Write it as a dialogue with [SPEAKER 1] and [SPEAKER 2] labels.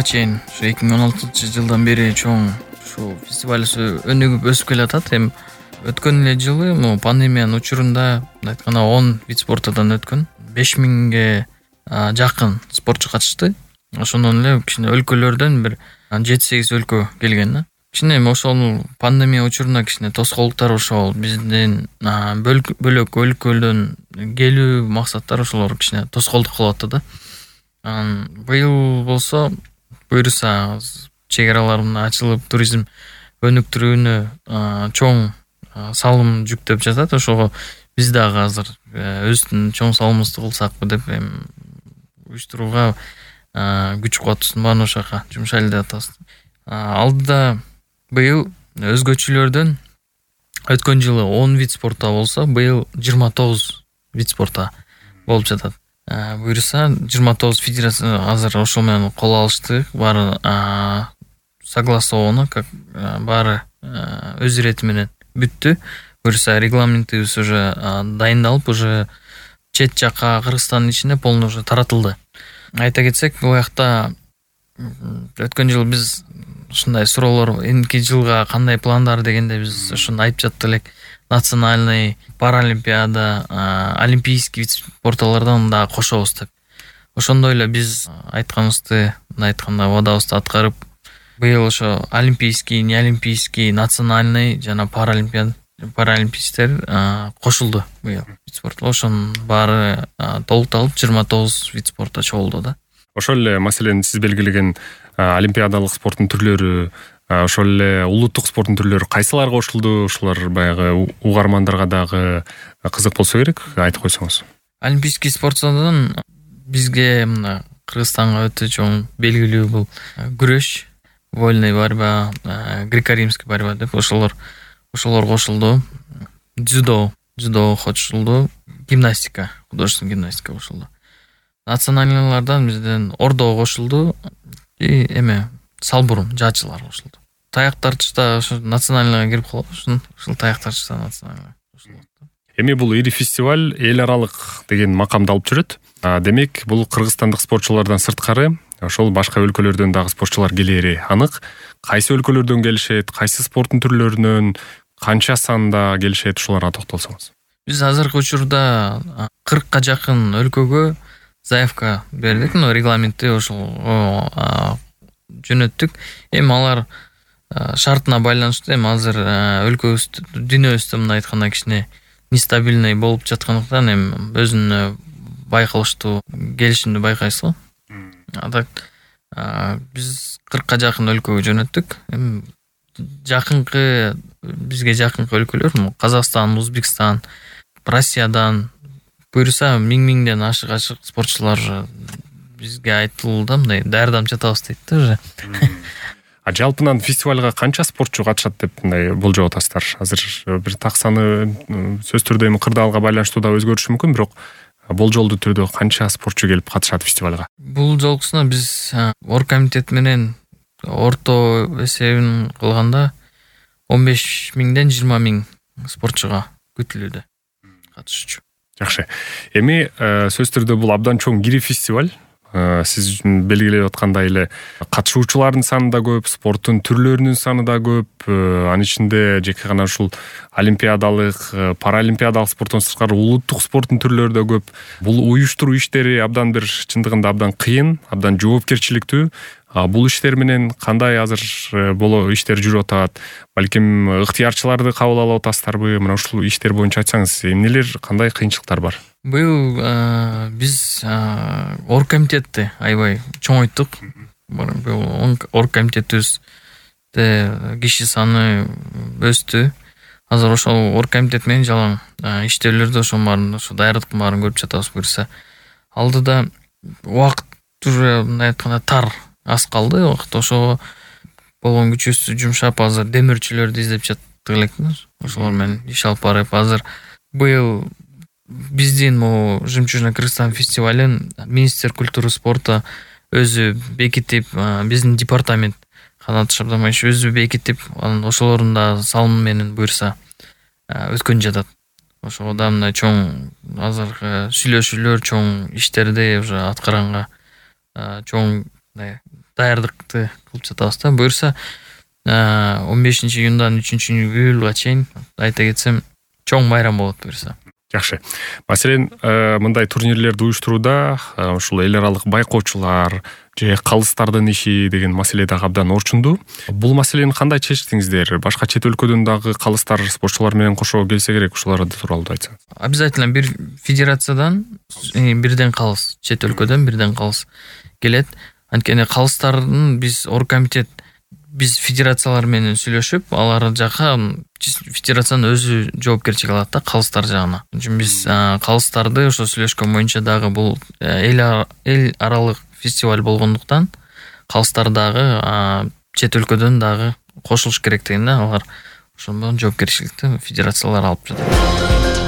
[SPEAKER 1] чейин ушу 2016-жылдан бери чоң ушул фестиваль өнүгүп өсүп келатат. Эми өткөн эле жылы пандемиянын учурунда айтканда 10 вид спортудан өткөн 5000ге жакын спортчу катышты. Ошондон эле кичине өлкөлөрдөн бир 7-8 өлкө келген да. Кичине ошол пандемия учурунда кичине тоскоолдуктар ошол биздин бөлөк өлкөлөрдөн келүү максаттар ошолор кичине тоскоолдук кылып атты да. Быйыл болсо буюрса чек араларын ачылып туризм өнүктүрүүнү чоң салым жүктөп жатат. Ошого биз дагы азыр өздүн чоң салымыбызды кылсакпы деп уюштурууга күч кубатыбыздын баарын ошол жака жумшайлы деп атабыз. Алдыда быйыл өзгөчөлөрдөн өткөн жылы 10 вид спортта болсо, быйыл 29 вид спортта болуп жатат. Буюрса 29 федерация азыр ошол менен кол алышты. Баары согласовано, как баары өз ирети менен бүттү. Буюрса регламентибиз уже дайындалып, уже чет жака Кыргызстандын ичине полный уже таратылды. Айта кетсек, бул жакта өткөн жылы биз ушундай суроолор эмки жылга кандай пландар дегенде биз ошону айтып жаттык элек. Национальный, паралимпиада, олимпийский вид спорталардан да кошобуз деп. Ошондой эле биз айтканыбызды убадабызды аткарып, быйыл ошо олимпийский, неолимпийский, национальный жана паралимпийцтер кошулду быйыл вид спорт. Ошонун баары толукталып 29 вид спортто чогулду да.
[SPEAKER 2] Ошол эле маселен сиз белгилеген олимпиадалык спорттун түрлөрү, ошол эле улуттук спорттун түрлөрү кайсыларга кошулду? Ушулар баягы угармандарга дагы кызык болсо керек, айтып койсоңуз.
[SPEAKER 1] Олимпийский спортсондон бизге мына Кыргызстанга өтө чоң белгилүү бул күрөш, вольная борьба, греко-римский борьба деп ошолор кошулду. Дзюдо кошулду, гимнастика, художественный гимнастика кошулду. Национальныйлардан бизден ордо кошулду и салбурум, жаачылар кошулду. Таяк тартышта ошо национальныйга кирип калат, ушул таяк тартышта национальныйга кошулат.
[SPEAKER 2] Эми бул ири фестиваль эл аралык деген макамды алып жүрөт. Демек, бул кыргызстандык спортчулардан сырткары ошол башка өлкөлөрдөн дагы спортчулар келери анык. Кайсы өлкөлөрдөн келишет, кайсы спорттун түрлөрүнөн, канча санда келишет, ушуларга токтолсоңуз.
[SPEAKER 1] Биз азыркы учурда 40ка жакын өлкөгө заявка бердик, регламентти ошол жөнөттүк. Эми алар шартына байланыштуу. Эми азыр өлкөбүз дүйнөбүздө мындай айтканда кичине нестабильный болуп жаткандыктан эми өзүнө байкалыштуу келишимди байкайсыз го. Так биз 40ка жакын өлкөгө жөнөттүк. Эми бизге жакынкы өлкөлөр Казакстан, Өзбекстан, Россиядан буюрса 1000ден ашык спортчулар бизге айтылды, мындай даярданып жатабыз дейт да уже.
[SPEAKER 2] Жалпынан фестивалга канча спортчу катышат деп мындай болжоп атасыздар? Азыр бир так саны сөз түрдө эми кырдаалга байланыштуу да өзгөрүшү мүмкүн, бирок болжолдуу түрдө канча спортчу келип катышат фестивалга?
[SPEAKER 1] Бул жолкусуна биз оргкомитет менен орто эсебин кылганда 15.000ден 20.000 спортчуга күтүлүүдө катышуучу.
[SPEAKER 2] Жакшы. Эми сөз түрдө бул абдан чоң ири фестиваль. Сиз белгилеп аткандай эле катышуучулардын саны да көп, спорттун түрлөрүнүн саны да көп. Анын ичинде жеке гана ушул олимпиадалык, паралимпиадалык спорттон сырткары улуттук спорттун түрлөрү да көп. Бул уюштуруу иштери абдан бир чындыгында абдан кыйын, абдан жоопкерчиликтүү. Бул иштер менен кандай азыр иштер жүрүп атат? Балким ыктыярчыларды кабыл алып атасыздарбы? Мына ушул иштер боюнча айтсаңыз, эмнелер, кандай кыйынчылыктар бар?
[SPEAKER 1] Быйыл биз оргкомитетти аябай чоңойттук. Быйыл оргкомитетибизде киши саны өстү. Азыр ошол оргкомитет менен жалаң иштөөлөрдү ошонун баарын, ошо даярдыктын баарын көрүп жатабыз. Буюрса алдыда убакыт уже мындай айтканда тар, аз калды убакыт. Ошого болгон күчүбүздү жумшап азыр демөөрчүлөрдү издеп жаттык элек. Ошолор менен иш алып барып, азыр быйыл биздин Жемчужина Кыргызстан фестивалын министр культуры спорта өзү бекитип, биздин департамент Канат Шабдамаевич өзү бекитип, анан ошолордун да салымы менен буюрса өткөн жатат. Ошого да мындай чоң азыркы сүйлөшүүлөр, чоң иштерди уже аткаранга чоң даярдыкты кылып жатабыз да. Буюрса 15-июндан 3-июлга чейин айта кетсем чоң майрам болот буюрса.
[SPEAKER 2] Жакшы. Маселен, мындай турнирлерди уюштурууда ушул эл аралык байкоочулар же калыстардын иши деген маселе дагы абдан орчундуу. Бул маселени кандай чечтиңиздер? Башка чет өлкөдөн дагы калыстар спортчулар менен кошо келсе керек, ушулар тууралуу да айтсаңыз.
[SPEAKER 1] Обязательно бир федерациядан бирден калыс, чет өлкөдөн бирден калыс келет. Анткени калыстардын биз оргкомитет биз федерациялар менен сүйлөшүп, алар жака федерациянын өзү жоопкерчилик алат да калыстар жагына. Биз калыстарды ошо сүйлөшкөн боюнча дагы бул эл аралык фестиваль болгондуктан калыстар дагы чет өлкөдөн дагы кошулуш керектигине алар ошондон жоопкерчиликти федерациялар алып жатат.